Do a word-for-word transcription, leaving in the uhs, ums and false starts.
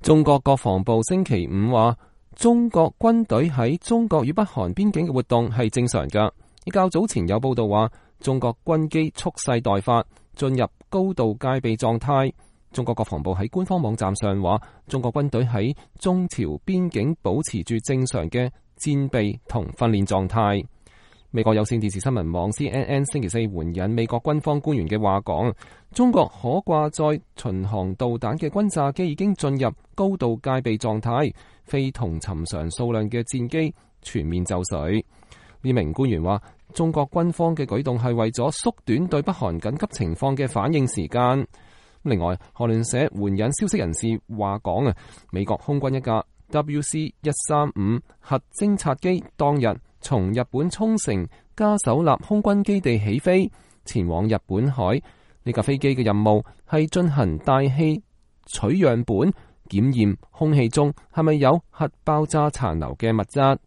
中國國防部星期五話，中國軍隊喺中國與北韓邊境嘅活動係正常㗎。而較早前有報道話，中國軍機蓄勢待發，進入高度戒備狀態。中國國防部喺官方網站上話，中國軍隊喺中朝邊境保持住正常嘅戰備同訓練狀態。美國有線電視新聞網 C N N 星期四援引美國軍方官員嘅話講，中國可掛載巡航導彈嘅轟炸機已經進入高度戒備狀態，非同尋常數量嘅戰機全面就緒。呢名官員話，中國軍方嘅舉動係為咗縮短對北韓緊急情況嘅反應時間。另外，韓聯社援引消息人士話講啊，美國空軍一架 W C 一三五核偵察機當日從日本沖繩加手納空軍基地起飛，前往日本海。呢架飛機嘅任務係進行大氣取樣本，檢驗空氣中係咪有核爆炸殘留嘅物質。